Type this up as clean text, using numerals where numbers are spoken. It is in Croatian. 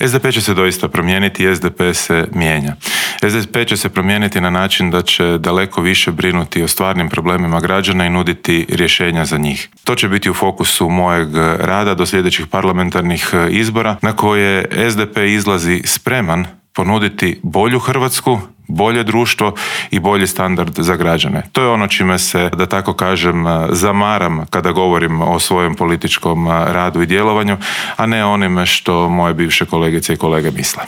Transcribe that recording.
SDP će se doista promijeniti i SDP se mijenja. SDP će se promijeniti na način da će daleko više brinuti o stvarnim problemima građana i nuditi rješenja za njih. To će biti u fokusu mojeg rada do sljedećih parlamentarnih izbora na koje SDP izlazi spreman ponuditi bolju Hrvatsku, bolje društvo i bolji standard za građane. To je ono čime se, da tako kažem, zamaram kada govorim o svojem političkom radu i djelovanju, a ne onime što moje bivše kolegice i kolege misle.